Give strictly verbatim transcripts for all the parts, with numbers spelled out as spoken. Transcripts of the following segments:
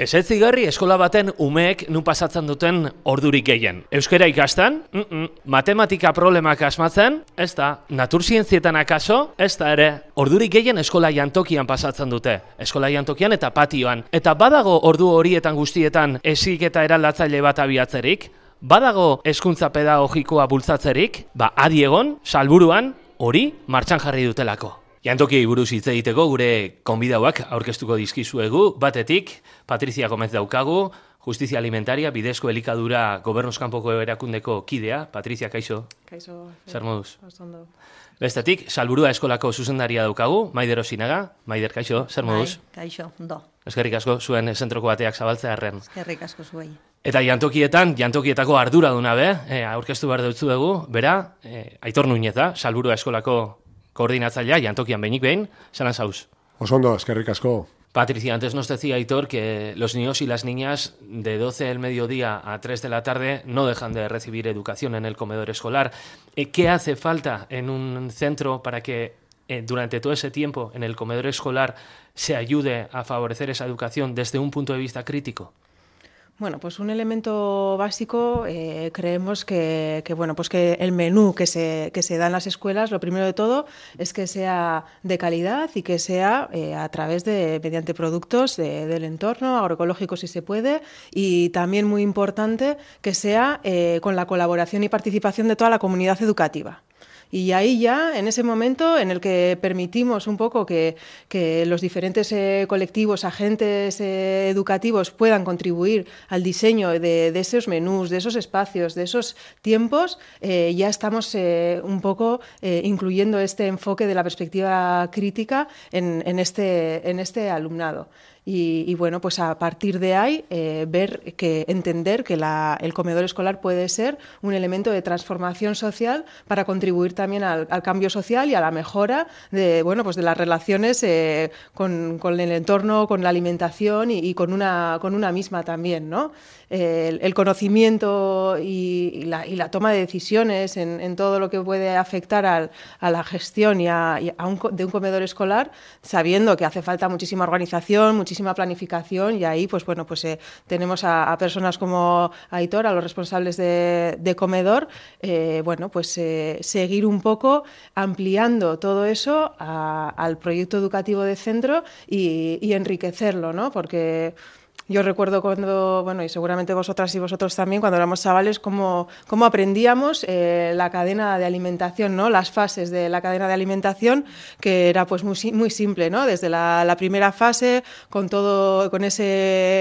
Ez ez zigarri eskola baten umeek nun pasatzen duten ordurik gehien. Euskara ikastan, mm -mm. matematika problemak asmatzen, ez da, naturzientzietan akaso, ez da ere, ordurik gehien eskola jantokian pasatzen dute. Eskola jantokian eta patioan. Eta badago ordu horietan guztietan heziketa eraldatzaile bat abiatzerik, badago hezkuntza pedagogikoa bultzatzerik, ba adi egon, salburuan, hori martxan jarri dutelako. Jantokiei buruz hitz egiteko gure konbidauak aurkeztuko dizkizuegu, batetik Patrizia Gomez daukagu, Justizia Alimentaria, Bidezko Elikadura Gobernuz kanpoko erakundeko kidea. Patrizia, kaixo? Kaixo. Zer moduz? Ondo. Bestetik, Salburua Eskolako zuzendaria daukagu, Maider Osinaga. Maider, kaixo? Zer moduz? Bai, kaixo, ondo. Eskerrik asko zuen zentroko bateak zabaltzea arren. Eskerrik asko zuei. Eta jantokietan, jantokietako arduraduna be, e, aurkeztu behar dutzu dugu, bera, e, Aitor Nuñeza, Salburua Eskolako koordinatzailea, jantokian behinik behin, zalan zauz. Osondo, eskerrik asko. Patricia, antes nos decía Aitor que los niños y las niñas de doce del mediodía a tres de la tarde no dejan de recibir educación en el comedor escolar. ¿Qué hace falta en un centro para que eh, durante todo ese tiempo en el comedor escolar se ayude a favorecer esa educación desde un punto de vista crítico? Bueno, pues un elemento básico, eh, creemos que, que, bueno, pues que el menú que se, que se da en las escuelas, lo primero de todo, es que sea de calidad y que sea eh, a través de, mediante productos de, del entorno, agroecológicos si se puede, y también muy importante que sea eh, con la colaboración y participación de toda la comunidad educativa. Y ahí ya, en ese momento en el que permitimos un poco que, que los diferentes eh, colectivos, agentes eh, educativos puedan contribuir al diseño de, de esos menús, de esos espacios, de esos tiempos, eh, ya estamos eh, un poco eh, incluyendo este enfoque de la perspectiva crítica en, en, este, en este alumnado. Y, y bueno, pues a partir de ahí eh, ver que entender que la, el comedor escolar puede ser un elemento de transformación social para contribuir también al, al cambio social y a la mejora de bueno pues de las relaciones eh, con, con el entorno, con la alimentación y, y con una con una misma también, ¿no? El, el conocimiento y, y, la, y la toma de decisiones en, en todo lo que puede afectar al, a la gestión y a, y a un, de un comedor escolar, sabiendo que hace falta muchísima organización, muchísima planificación, y ahí pues bueno pues eh, tenemos a, a personas como Aitor, a los responsables de, de comedor, eh, bueno pues eh, seguir un poco ampliando todo eso a, al proyecto educativo de centro y, y enriquecerlo, ¿no? Porque yo recuerdo cuando, bueno, y seguramente vosotras y vosotros también, cuando éramos chavales, cómo, cómo aprendíamos eh, la cadena de alimentación, ¿no? Las fases de la cadena de alimentación, que era pues muy, muy simple, ¿no? Desde la, la primera fase, con todo, con ese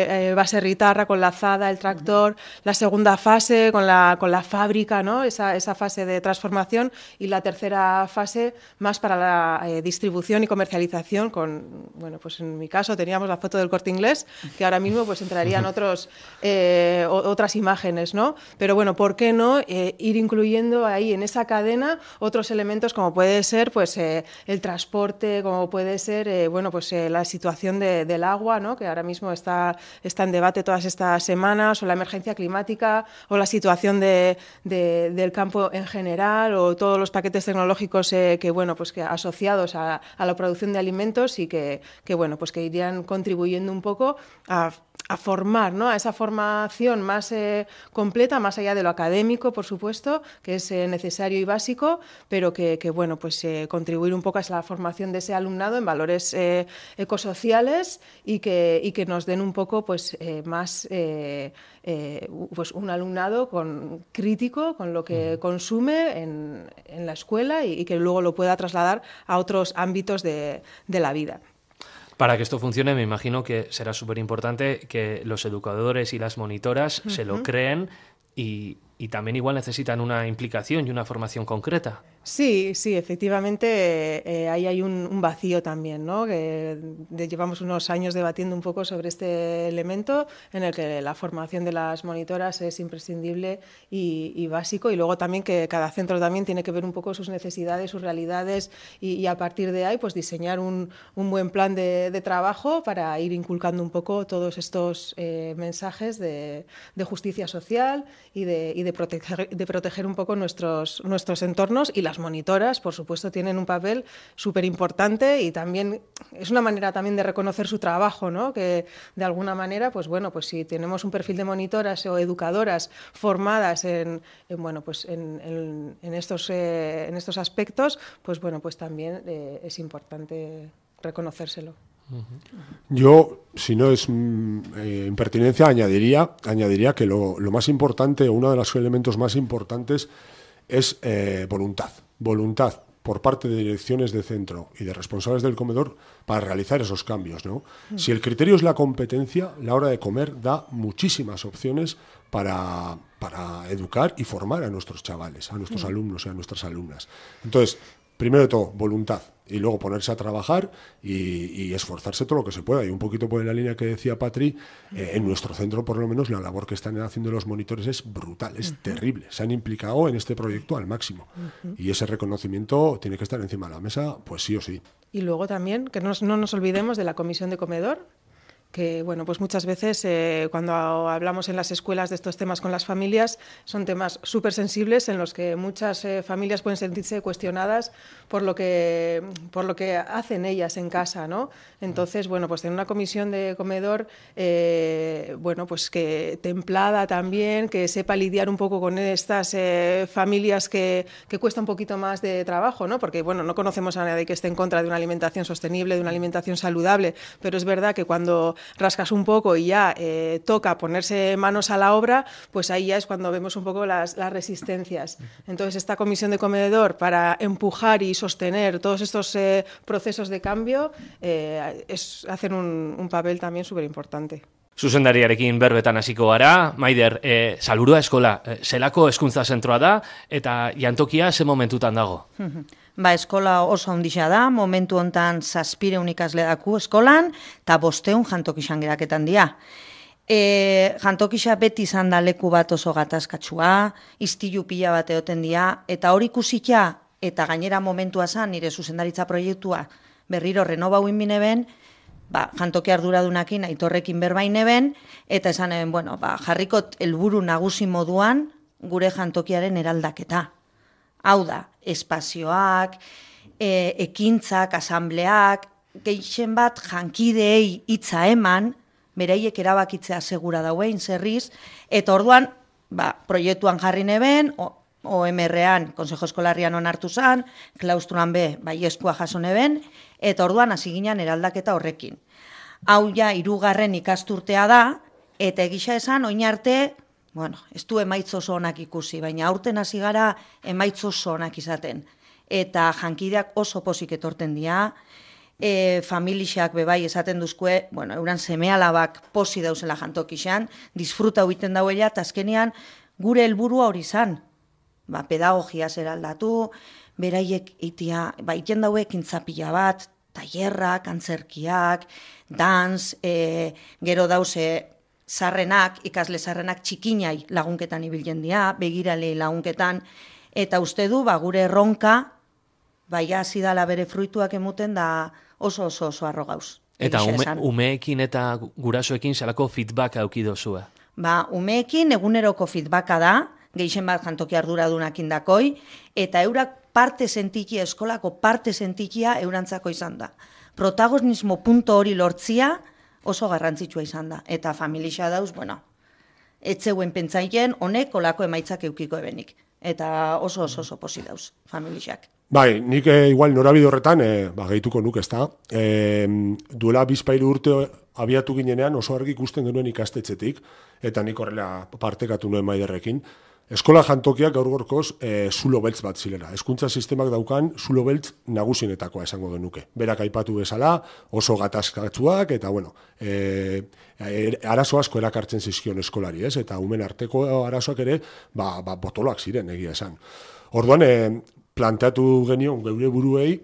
eh, base ritarra, con la azada, el tractor, la segunda fase, con la, con la fábrica, ¿no? Esa, esa fase de transformación, y la tercera fase más para la eh, distribución y comercialización, con, bueno, pues en mi caso teníamos la foto del Corte Inglés, que ahora mismo pues entrarían otros, eh, otras imágenes, ¿no? Pero bueno, ¿por qué no eh, ir incluyendo ahí en esa cadena otros elementos como puede ser pues eh, el transporte, como puede ser eh, bueno pues eh, la situación de, del agua, ¿no? Que ahora mismo está, está en debate todas estas semanas, o la emergencia climática, o la situación de, de, del campo en general, o todos los paquetes tecnológicos eh, que bueno pues que asociados a, a la producción de alimentos y que, que bueno pues que irían contribuyendo un poco a a formar, ¿no? A esa formación más eh, completa, más allá de lo académico, por supuesto, que es eh, necesario y básico, pero que, que bueno, pues eh, contribuir un poco a la formación de ese alumnado en valores eh, ecosociales y que, y que nos den un poco pues eh, más eh, eh, pues un alumnado con, crítico con lo que consume en, en la escuela y, y que luego lo pueda trasladar a otros ámbitos de, de la vida. Para que esto funcione, me imagino que será súper importante que los educadores y las monitoras uh-huh. se lo creen y, y también igual necesitan una implicación y una formación concreta. Sí, sí, efectivamente eh, ahí hay un, un vacío también, ¿no? Que de, llevamos unos años debatiendo un poco sobre este elemento en el que la formación de las monitoras es imprescindible y, y básico, y luego también que cada centro también tiene que ver un poco sus necesidades, sus realidades y, y a partir de ahí pues diseñar un, un buen plan de, de trabajo para ir inculcando un poco todos estos eh, mensajes de, de justicia social y de, y de, proteger, de proteger un poco nuestros, nuestros entornos y la las monitoras, por supuesto, tienen un papel súper importante y también es una manera también de reconocer su trabajo, ¿no? Que de alguna manera, pues bueno, pues si tenemos un perfil de monitoras o educadoras formadas en, en bueno, pues en, en, en, estos, eh, en estos aspectos, pues bueno, pues también eh, es importante reconocérselo. Yo, si no es eh, impertinencia, añadiría, añadiría que lo, lo más importante, o uno de los elementos más importantes, es eh, voluntad. Voluntad por parte de direcciones de centro y de responsables del comedor para realizar esos cambios, ¿no? Mm. Si el criterio es la competencia, la hora de comer da muchísimas opciones para, para educar y formar a nuestros chavales, a nuestros mm. alumnos y a nuestras alumnas. Entonces, primero de todo, voluntad, y luego ponerse a trabajar y, y esforzarse todo lo que se pueda. Y un poquito por la línea que decía Patri, eh, en nuestro centro, por lo menos, la labor que están haciendo los monitores es brutal, es uh-huh. terrible. Se han implicado en este proyecto al máximo. Uh-huh. Y ese reconocimiento tiene que estar encima de la mesa, pues sí o sí. Y luego también, que no, no nos olvidemos de la comisión de comedor, que bueno, pues muchas veces eh, cuando hablamos en las escuelas de estos temas con las familias, son temas súper sensibles en los que muchas eh, familias pueden sentirse cuestionadas por lo que por lo que hacen ellas en casa, ¿no? Entonces, bueno, pues tener una comisión de comedor, eh, bueno, pues que templada también, que sepa lidiar un poco con estas eh, familias que, que cuesta un poquito más de trabajo, ¿no? Porque, bueno, no conocemos a nadie que esté en contra de una alimentación sostenible, de una alimentación saludable, pero es verdad que cuando rascas un poco y ya eh, toca ponerse manos a la obra, pues ahí ya es cuando vemos un poco las, las resistencias. Entonces, esta comisión de comedor para empujar y sostener todos estos eh, procesos de cambio eh, es, hacen un, un papel también súper importante. Zuzendariarekin berbetan hasiko gara. Maider, eh, Salburua eskola, eh, zelako hezkuntza zentroa da eta jantokia ze momentutan dago? Ba, eskola oso handia da, momentu hontan zazpireun ikasle daku eskolan, eta bosteun jantokixan geraketan dira. E, jantokixa beti izan da leku bat oso gatazkatsua, istilu pila bat egoten dira, eta hori ikusita, eta gainera momentua zan, nire zuzendaritza proiektua berriro renovau inbineben, ba, jantoki arduradunakin aitorrekin berbaineben, eta esan eben, bueno, ba, jarrikot helburu nagusi moduan gure jantokiaren eraldaketa. Hau da, espazioak, e, ekintzak, asambleak, gehien bat jankideei hitza eman, beraiek erabakitzea segura dauen zerriz, eta orduan, ba, proiektuan jarri neben, O M R-an, Konsejo Eskolarrian onartu zan, klaustruan be, baieskua jaso neben, eta orduan hasi ginen eraldaketa horrekin. Hau ja, hirugarren ikasturtea da, eta egisa esan, oin arte, bueno, ez du emaitz oso onak ikusi, baina aurten hasi gara emaitz oso onak izaten. Eta jankideak oso pozik etorten dira, e, familixak bebai esaten duzkue, bueno, euran seme-alabak posi dauzela jantokixan, disfruta huiten dauela, eta azkenean gure helburua hori zan. Ba, pedagogia zer aldatu, beraiek itia, ba, iten daue kintzapila bat, tailerrak, antzerkiak, dans, e, gero dause zarrenak, ikasle zarrenak txikinai lagunketan ibiltzen dira, begiralei lagunketan, eta uste du, ba, gure erronka, bai hasi dala bere fruituak emuten da oso oso oso arro gauz. Eta ume, umeekin eta gurasoekin zelako feedback auki dozua? Ba, umeekin eguneroko feedbacka da, gehien bat jantoki arduradunakin dakoi, eta eurak parte sentikia, eskolako parte sentikia eurantzako izan da. Protagonismo punto hori lortzia oso garrantzitsua izan da. Eta familia dauz, bueno, etzeuen pentsaien honek olako emaitzak eukiko ebenik. Eta oso oso oso posi dauz, familiak. Bai, nik eh, igual norabide horretan, eh, ba, gehituko nuk ez da. Eh, duela bizpairu urte abiatu ginenean oso argi ikusten genuen ikastetxetik, eta nik horrela partekatu nuen Maiderrekin. Eskola jantokiak gaur gorkoz e, zulo beltz bat zilera. Hezkuntza sistemak daukan zulo beltz nagusinetakoa esango genuke. Berak aipatu bezala, oso gatazkatsuak, eta bueno, e, e, arazo asko erakartzen zizkion eskolari, ez? Eta umen arteko arazoak ere, ba, ba, botoloak ziren, egia esan. Orduan, e, planteatu genion geure buruei,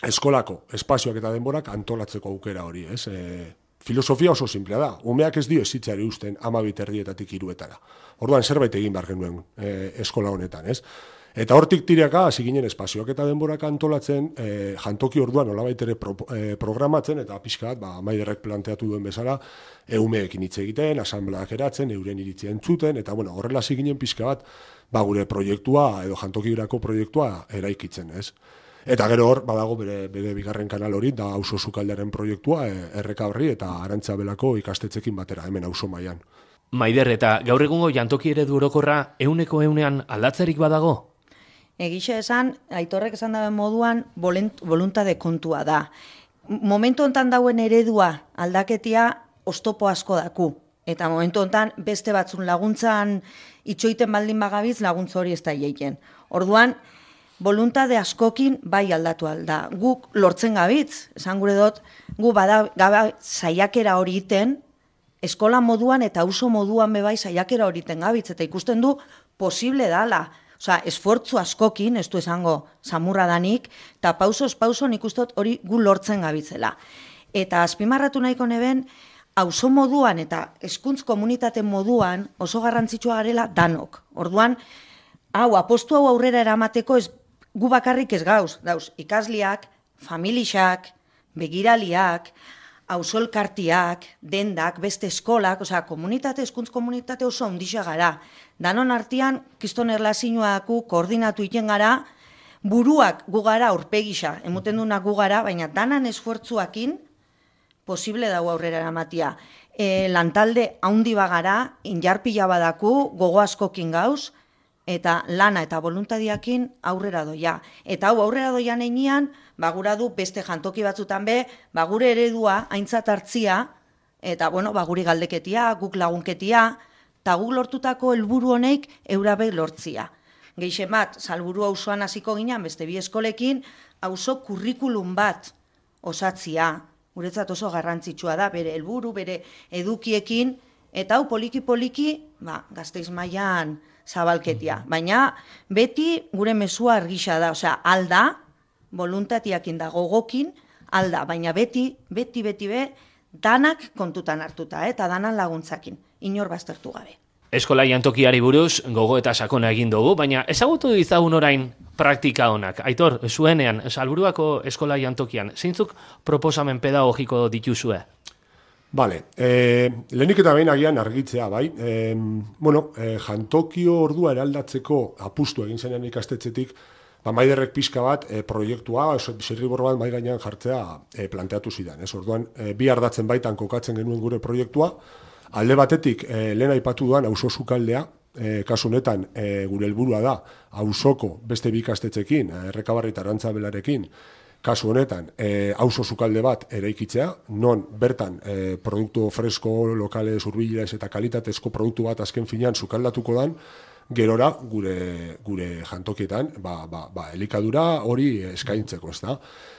eskolako espazioak eta denborak antolatzeko aukera hori, ez? E, filosofia oso simplea da. Umeak ez dio ezitzari usten ama biterdietatik hiruetara. Orduan zerbait egin behar genuen e, eskola honetan, ez? Eta hortik tiraka hasi ginen espazioak eta denborak antolatzen, e, jantoki orduan nolabait ere pro, e, programatzen, eta pixka bat, ba, Maiderrek planteatu duen bezala, eumeekin hitz egiten, asambleak eratzen, euren iritzia entzuten, eta bueno, horrela hasi ginen pixka bat, ba, gure proiektua, edo jantokirako proiektua eraikitzen, ez? Eta gero hor, badago bere, bere bigarren kanal hori, da Auzo Sukaldearen proiektua, e, Erreka Horri eta Arantzabelako ikastetxekin batera, hemen auzo mailan. Maider, eta gaur egungo jantoki eredu orokorra euneko eunean aldatzerik badago? Egixe esan, Aitorrek esan daben moduan, voluntade kontua da. Momentu hontan dauen eredua aldaketia oztopo asko daku. Eta momentu hontan beste batzun laguntzan itxoiten baldin bagabiz laguntza hori ez da jeiten. Orduan, voluntade askokin bai aldatu alda. Guk lortzen gabitz, esan gure dut, gu bada gaba saiakera hori iten, eskola moduan eta auzo moduan bebai saiakera hori iten gabitz, eta ikusten du posible dala. Osa, esfortzu askokin, ez du esango samurra danik, eta pausoz pauso nik uste dut hori gu lortzen gabitzela. Eta azpimarratu nahiko neben, auzo moduan eta hezkuntz komunitate moduan oso garrantzitsua garela danok. Orduan, hau, apostu hau aurrera eramateko ez, gu bakarrik ez gauz, dauz, ikasliak, familixak, begiraliak, auzo-elkartiak, dendak, beste eskolak, osea, komunitate, hezkuntz komunitate oso ondixa gara. Danon artean, kiston erlazioaku koordinatu iten gara, buruak gu gara aurpegisa, emoten dunak gu gara, baina danan esfuertzuakin posible dago aurrera eramatia. E, lantalde haundi bagara, injarpila badaku, gogo askokin gauz, eta lana eta voluntadiakin aurrera doia. Eta hau aurrera doian einean, bagura du beste jantoki batzutan be, bagure eredua aintzat hartzia, eta bueno, baguri galdeketia, guk lagunketia, eta guk lortutako helburu honeik eurabe lortzia. Geixe bat, salburu auzoan hasiko ginen, beste bi eskolekin, auzo kurrikulum bat osatzia, guretzat oso garrantzitsua da, bere helburu, bere edukiekin, eta hau poliki-poliki, ba, Gasteiz mailan zabalketia. Baina beti gure mezua argisa da, osea, alda, voluntatiakin da gogokin, alda, baina beti, beti, beti be, danak kontutan hartuta, eta danan laguntzakin, inor baztertu gabe. Eskola jantokiari buruz, gogo eta sakona egin dugu, baina ezagutu dizagun orain praktika honak. Aitor, zuenean, Salburuako eskola jantokian, zeintzuk proposamen pedagogiko dituzue? Bale, eh, lehenik eta behin agian argitzea, bai. Eh, bueno, eh, jantokio ordua eraldatzeko apustu egin zenean ikastetxetik, ba, Maiderrek pixka bat e, proiektua, zirribor bat mai gainean jartzea e, planteatu zidan. Ez? Orduan, e, bi ardatzen baitan kokatzen genuen gure proiektua, alde batetik e, lehen aipatu duan auzo sukaldea, e, kasu honetan e, gure helburua da, auzoko beste bi ikastetxekin, Errekabarri eta Arantzabelarekin, kasu honetan, e, auzo sukalde bat eraikitzea, non bertan e, produktu fresko, lokales, hurbilez eta kalitatezko produktu bat azken finean sukaldatuko dan, gerora gure gure jantokietan ba, ba, ba, elikadura hori eskaintzeko, ez da.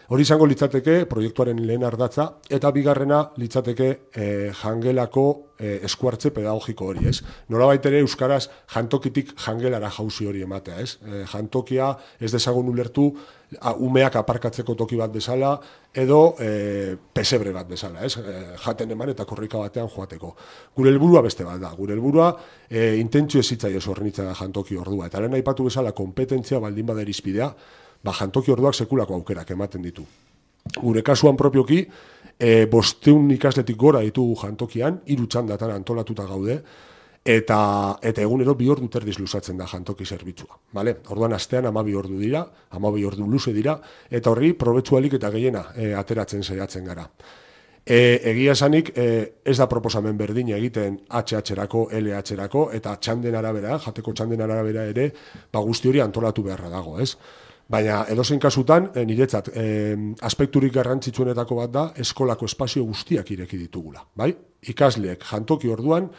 Hori izango litzateke proiektuaren lehen ardatza, eta bigarrena litzateke e, jangelako e, eskuartze pedagogiko hori, ez. Nolabait ere euskaraz jantokitik jangelara jauzi hori ematea, ez. E, jantokia ez dezagun ulertu a, umeak aparkatzeko toki bat bezala, edo e, pesebre bat bezala, ez. E, jaten eman eta korrika batean joateko. Gure helburua beste bat da. Gure helburua e, intentzio ezitzaio zornitza da jantoki ordua. Eta lehen aipatu bezala kompetentzia baldin bada irizpidea, ba, jantoki orduak sekulako aukerak ematen ditu. Gure kasuan propioki, e, bosteun ikasletik gora ditugu jantokian, hiru txandatan antolatuta gaude, eta eta egunero bi ordu terdiz luzatzen da jantoki zerbitzua. Vale? Orduan astean hamabi ordu dira, hamabi ordu luze dira, eta horri probetxualik eta gehiena e, ateratzen saiatzen gara. E, egia esanik, e, ez da proposamen berdin egiten H H-erako, L H-erako, eta txanden arabera, jateko txanden arabera ere, ba, guzti hori antolatu beharra dago, ez? Baina edozein kasutan, e, niretzat, e, aspekturik garrantzitsuenetako bat da, eskolako espazio guztiak ireki ditugula, bai? Ikasleek jantoki orduan,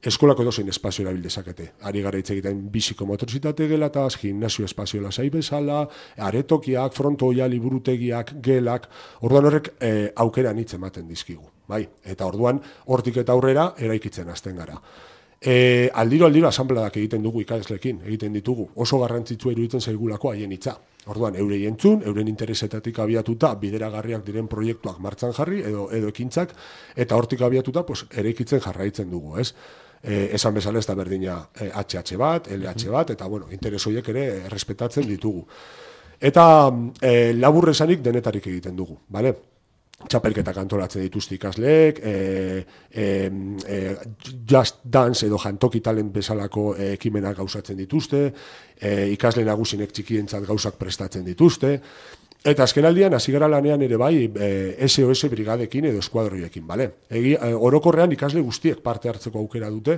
eskolako edozein espazio erabil dezakete. Ari gara hitz egiten biziko motorizitate gelataz, gimnasio espazio lasai bezala, aretokiak, frontoia, liburutegiak, gelak, orduan horrek e, aukeran hitz ematen dizkigu, bai? Eta orduan, hortik eta aurrera, eraikitzen hasten gara. E, aldiro aldiro asanbladak egiten dugu ikaslekin, egiten ditugu, oso garrantzitsua iruditzen zaigulako haien hitza. Orduan, eurei entzun, euren interesetatik abiatuta bideragarriak diren proiektuak martxan jarri edo edo ekintzak, eta hortik abiatuta pues, eraikitzen jarraitzen dugu, ez? E, esan bezala ez da berdina e, H H bat, L H bat, eta bueno, interes horiek ere errespetatzen ditugu. Eta e, labur esanik denetarik egiten dugu, bale? Txapelketak antolatzen dituzte ikasleek, e, e, e, Just Dance edo Jantoki Talent bezalako e, ekimenak gauzatzen dituzte, e, ikasle nagusinek txikientzat gauzak prestatzen dituzte, eta azkenaldian hasi gara lanean ere bai e, S O S brigadekin edo eskuadroiekin, bale? Egi, e, orokorrean ikasle guztiek parte hartzeko aukera dute,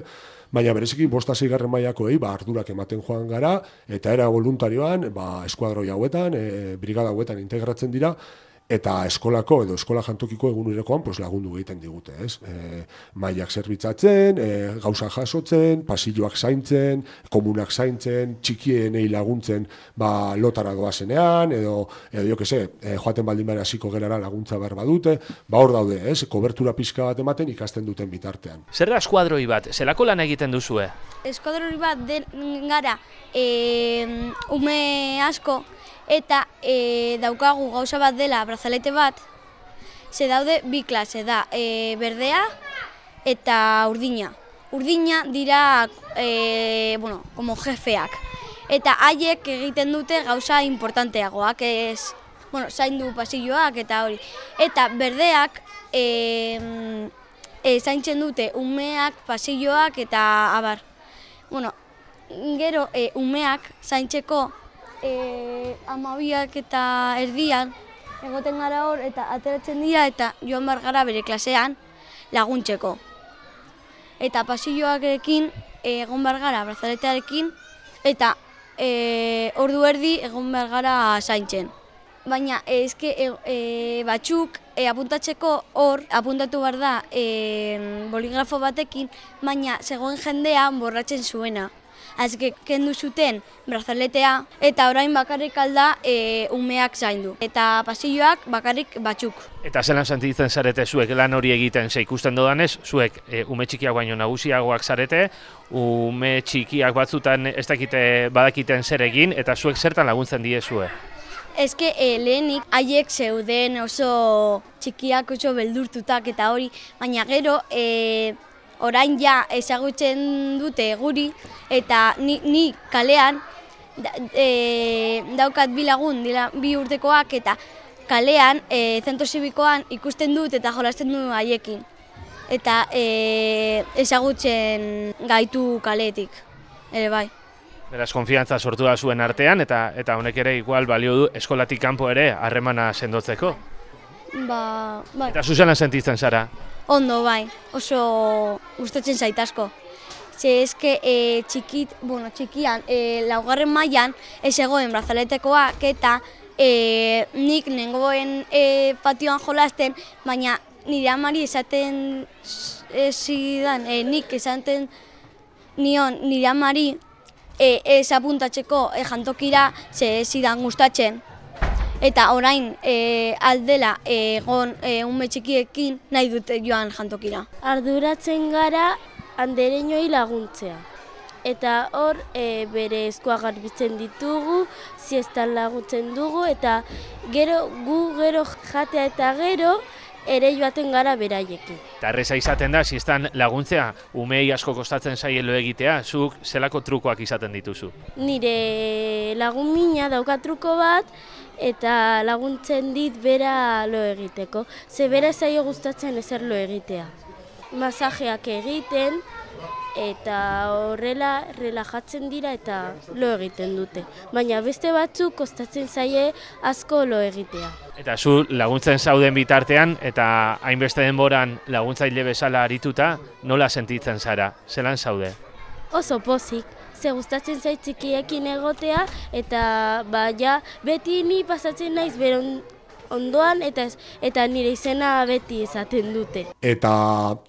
baina bereziki bosta seigarren mailakoei ba ardurak ematen joan gara eta era voluntarioan ba eskuadroi hauetan, e, brigada hauetan integratzen dira. Eta eskolako edo eskola jantokiko egunerokoan pues, lagundu egiten digute, ez? E, mailak zerbitzatzen, e, gauza jasotzen, pasilloak zaintzen, komunak zaintzen, txikienei laguntzen ba, lotara doazenean, edo, edo jo que se, e, joaten baldin bera hasiko gerara laguntza behar badute, ba hor daude, ez? Kobertura pixka bat ematen ikasten duten bitartean. Zer da eskuadroi bat? Zelako lan egiten duzue? Eskuadroi bat den gara e, ume asko, eta e, daukagu gauza bat dela brazalete bat, ze daude bi klase da, e, berdea eta urdina. Urdina dira, e, bueno, como jefeak. Eta haiek egiten dute gauza importanteagoak, ez, bueno, zaindu pasilloak eta hori. Eta berdeak e, e, zaintzen dute umeak, pasilloak eta abar. Bueno, gero e, umeak zaintzeko E, amabiak eta erdian egoten gara hor eta ateratzen dira eta joan behar gara bere klasean laguntzeko. Eta pasilloakekin egon behar gara brazaletearekin eta e, ordu erdi egon behar gara zaintzen. Baina ezke e, e, batzuk e, apuntatzeko hor apuntatu behar da e, boligrafo batekin, baina zegoen jendean borratzen zuena. Azke kendu zuten brazaletea eta orain bakarrik alda e, umeak zaindu. Eta pasilloak bakarrik batzuk. Eta zelan sentitzen zarete zuek lan hori egiten, ze ikusten dodanez, zuek e, ume txikiak baino nagusiagoak zarete, ume txikiak batzutan ez dakite badakiten zer egin, eta zuek zertan laguntzen diezue? Ezke e, lehenik haiek zeuden oso txikiak oso beldurtutak eta hori, baina gero e, orain ja ezagutzen dute guri eta ni, ni kalean da, e, daukat bi lagun, dira bi urtekoak eta kalean e, zentro zibikoan ikusten dut eta jolasten du haiekin. Eta e, ezagutzen gaitu kaletik, ere bai. Beraz, konfiantza sortu da zuen artean eta eta honek ere igual balio du eskolatik kanpo ere harremana sendotzeko. Ba, bai. Eta zuzenan sentitzen zara? Ondo, bai, oso gustatzen zait asko. Ze eske e, txikit, bueno, txikian, e, laugarren mailan ez egoen brazaletekoak eta e, nik nengoen e, patioan jolasten, baina nire amari esaten zidan, e, nik esaten nion nire amari e, ez apuntatzeko e, jantokira ze zidan gustatzen. Eta orain e, aldela egon e, ume txikiekin nahi dute joan jantokira. Arduratzen gara andereinoi laguntzea. Eta hor e, bere eskua garbitzen ditugu, siestan laguntzen dugu eta gero gu gero jatea eta gero ere joaten gara beraiekin. Eta erreza izaten da, siestan laguntzea, umei asko kostatzen zaielo egitea, zuk zelako trukoak izaten dituzu? Nire lagun mina dauka truko bat, eta laguntzen dit bera lo egiteko. Ze bera zaio gustatzen ezer lo egitea. Masajeak egiten eta horrela relajatzen dira eta lo egiten dute. Baina beste batzuk kostatzen zaie asko lo egitea. Eta zu laguntzen zauden bitartean eta hainbeste denboran laguntzaile bezala arituta, nola sentitzen zara? Zelan zaude? Oso pozik. Ze gustatzen zait txikiekin egotea eta ba, ja, beti ni pasatzen naiz beron ondoan eta eta nire izena beti esaten dute. Eta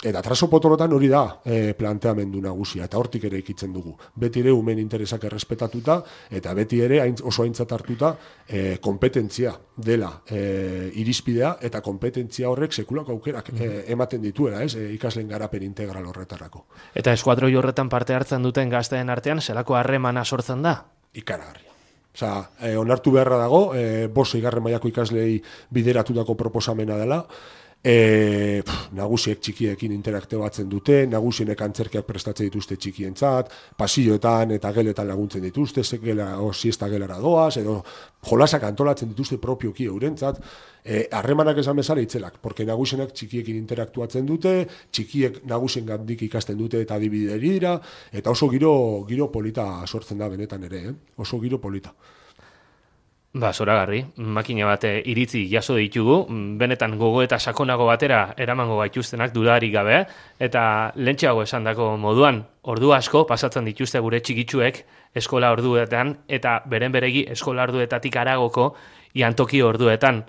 eta traso potolotan hori da e, planteamendu nagusia eta hortik ere ikitzen dugu. Beti ere umen interesak errespetatuta eta beti ere hain, oso aintzat hartuta e, kompetentzia dela e, irizpidea eta kompetentzia horrek sekulako aukerak e, ematen dituela, ez? E, ikasleen garapen integral horretarako. Eta eskuadroi horretan parte hartzen duten gazteen artean zelako harremana sortzen da? Ikaragarria. Osea, eh, onartu beharra dago, eh, bost seigarren mailako ikaslei bideratutako proposamena dela, E, pff, nagusiek txikiekin interaktibatzen dute, nagusienek antzerkiak prestatzen dituzte txikientzat, pasilloetan eta geletan laguntzen dituzte, zekela o siesta gelara doaz, edo jolasak antolatzen dituzte propioki eurentzat, e, harremanak esan bezala itzelak, porque nagusienak txikiekin interaktuatzen dute, txikiek nagusien gandik ikasten dute eta adibideri dira, eta oso giro, giro polita sortzen da benetan ere, eh? Oso giro polita. Ba, zoragarri, makina bat iritzi jaso ditugu, benetan gogo eta sakonago batera eramango gaituztenak dudarik gabe, eta lentxeago esandako moduan, ordu asko pasatzen dituzte gure txikitsuek eskola orduetan, eta beren beregi eskola orduetatik haragoko jantoki orduetan.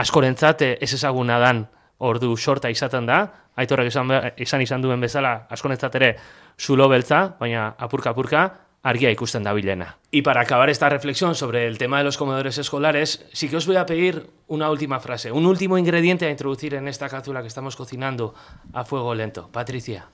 Askorentzat ez ezaguna dan ordu sorta izaten da, Aitorrek esan, esan izan duen bezala, askorentzat ere zulo beltza, baina apurka-apurka, argia ikusten dabilena. Y para acabar esta reflexión sobre el tema de los comedores escolares, sí que os voy a pedir una última frase, un último ingrediente a introducir en esta cápsula que estamos cocinando a fuego lento. Patricia.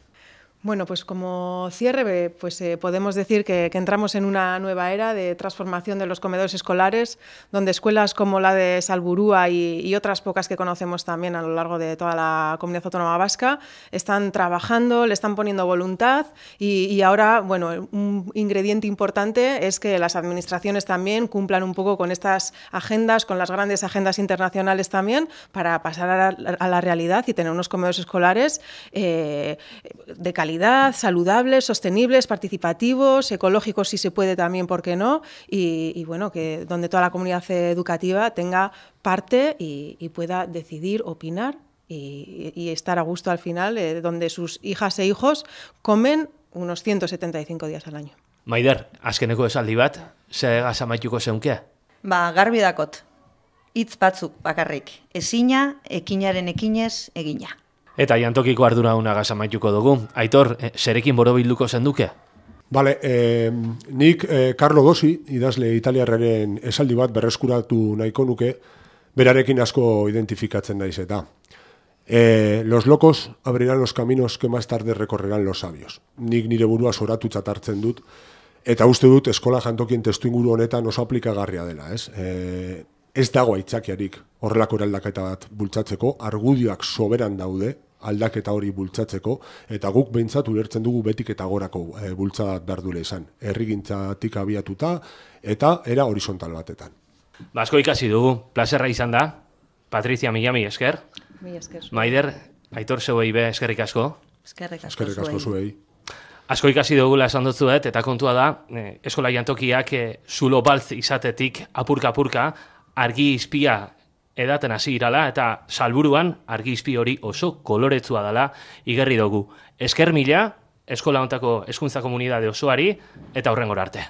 Bueno, pues como cierre, pues eh, podemos decir que, que entramos en una nueva era de transformación de los comedores escolares, donde escuelas como la de Salburúa y, y otras pocas que conocemos también a lo largo de toda la comunidad autónoma vasca están trabajando, le están poniendo voluntad y, y ahora, bueno, un ingrediente importante es que las administraciones también cumplan un poco con estas agendas, con las grandes agendas internacionales también, para pasar a la, a la realidad y tener unos comedores escolares eh, de calidad, saludables, sostenibles, participativos, ecológicos si se puede también, ¿por qué no? Y, y bueno, que donde toda la comunidad educativa tenga parte y, y pueda decidir, opinar y, y estar a gusto al final, eh, donde sus hijas e hijos comen unos ciento setenta y cinco días al año. Maider, azkeneko esaldi bat, zegaz amaituko zeunke? Ba, garbi dakot. Hitz batzuk bakarrik. Ezina, ekinaren ekinez, egina. Eta jantokiko ardura gaz amaituko dugu. Aitor, eh, zerekin borobilduko zenduke? Bale, eh, nik eh, Carlo Dossi, idazle italiarraren esaldi bat berreskuratu nahiko nuke, berarekin asko identifikatzen naiz eta. Eh, los locos abrirán los caminos que más tarde recorrerán los sabios. Nik nire burua zoratutzat hartzen dut, eta uste dut eskola jantokien testuinguru honetan oso aplikagarria dela, ez? Eh, Ez dago aitzakiarik horrelako eraldaketa bat bultzatzeko, argudioak soberan daude aldaketa hori bultzatzeko, eta guk behintzat ulertzen dugu betik eta gorako e, bultzadat behar duela izan. Herrigintzatik abiatuta eta era horizontal batetan. Basko ikasi dugu, plazerra izan da. Patricia, mila mi esker. Mila esker. Maider, Aitor zeuei be eskerrik asko. Eskerrik asko Eskerrik asko zuei. Asko ikasi dugula esan dutzuet, eta kontua da, eh, eskola jantokiak eh, zulo baltz izatetik apurka-apurka, argi izpia edaten hasi irala eta Salburuan argi izpi hori oso koloretsua dela igerri dugu. Esker mila, eskola hontako hezkuntza komunitate osoari eta hurrengora arte.